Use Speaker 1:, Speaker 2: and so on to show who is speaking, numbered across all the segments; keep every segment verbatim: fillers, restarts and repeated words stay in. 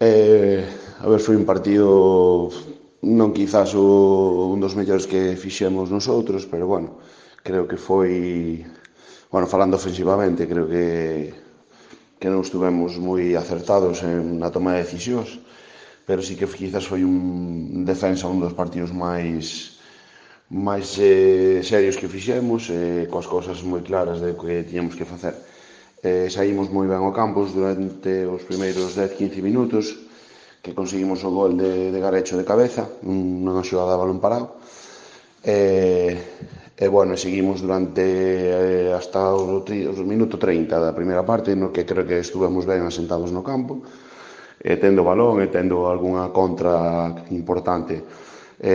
Speaker 1: Eh, a ver, foi un partido non quizás o, un dos mellores que fixemos nosotros, pero bueno, creo que foi, bueno, falando ofensivamente, creo que que non estuvemos moi acertados en na toma de decisións, pero sí que quizás foi un defensa un dos partidos máis máis eh, serios que fixemos, eh, coas cousas moi claras de que tiñamos que facer. Eh, saímos moi ben ao campus durante os primeiros dez a quince minutos, que conseguimos o gol de, de Garecho de cabeza, nunha xogada de balón parado. E, e bueno, seguimos durante eh, hasta o, o minuto treinta da primeira parte, no que creo que estuvemos ben asentados no campo, e tendo balón e tendo algunha contra importante. E,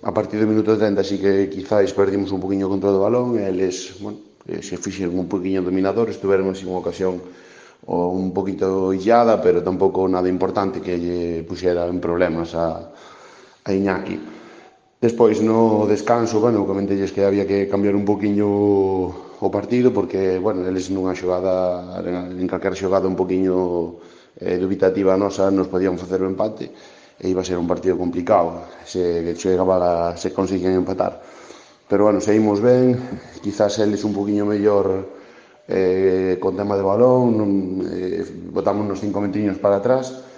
Speaker 1: a partir do minuto treinta sí que quizáis perdimos un poquinho o control do balón e eles, bueno, se fixeron un poquinho dominadores, tuveron así unha ocasión o un poquito illada, pero tampouco nada importante que lle puxera en problemas a, a Iñaki. Despois, no descanso, bueno, comentelles que había que cambiar un poquinho o partido, porque, bueno, eles nunha xogada, en calquera xogada un poquinho eh, dubitativa nosa, nos podían facer o empate, e iba a ser un partido complicado, se chegaba a, se conseguían empatar. Pero, bueno, seguimos ben, quizás eles un poquinho mellor eh, con tema de balón, non, eh, botamos nos cinco metriños para atrás,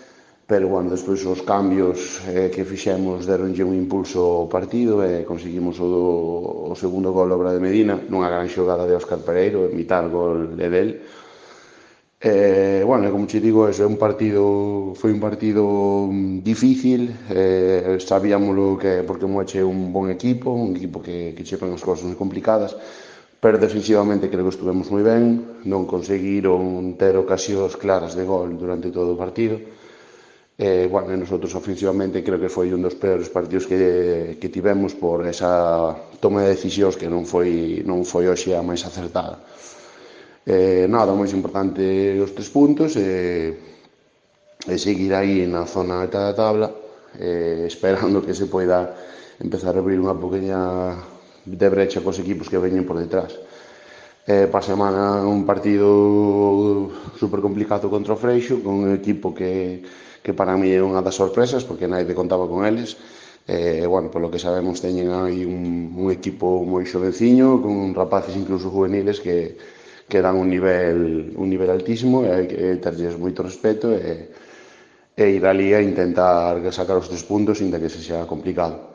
Speaker 1: pero bueno, despois os cambios eh, que fixemos deronlle un impulso ao partido e conseguimos o, o segundo gol obra de Medina nunha gran xogada de Óscar Pereiro, mitad gol de del. Eh, bueno, como che digo, é un partido, foi un partido difícil, eh, sabíamoslo que porque Moeche é un bon equipo, un equipo que, que chepan as cousas moi complicadas, pero defensivamente creo que estuvemos moi ben, non conseguiron ter ocasións claras de gol durante todo o partido. E, bueno, nosotros ofensivamente creo que foi un dos peores partidos que, que tivemos por esa toma de decisións que non foi, non foi hoxe a máis acertada. Eh, nada, o máis importante os tres puntos e, e seguir aí na zona alta da tabla, eh, esperando que se poida empezar a abrir unha pequena de brecha cos equipos que veñen por detrás. Eh, pa semana un partido super complicado contra o Freixo, con un equipo que, que para mí é unha das sorpresas, porque naide contaba con eles. E, eh, bueno, polo que sabemos teñen aí un, un equipo moi xoveciño, con rapaces incluso juveniles que, que dan un nivel, un nivel altísimo, e hai que terlles moito respeto e, e ir ali a intentar sacar os tres puntos, inda que se xa complicado.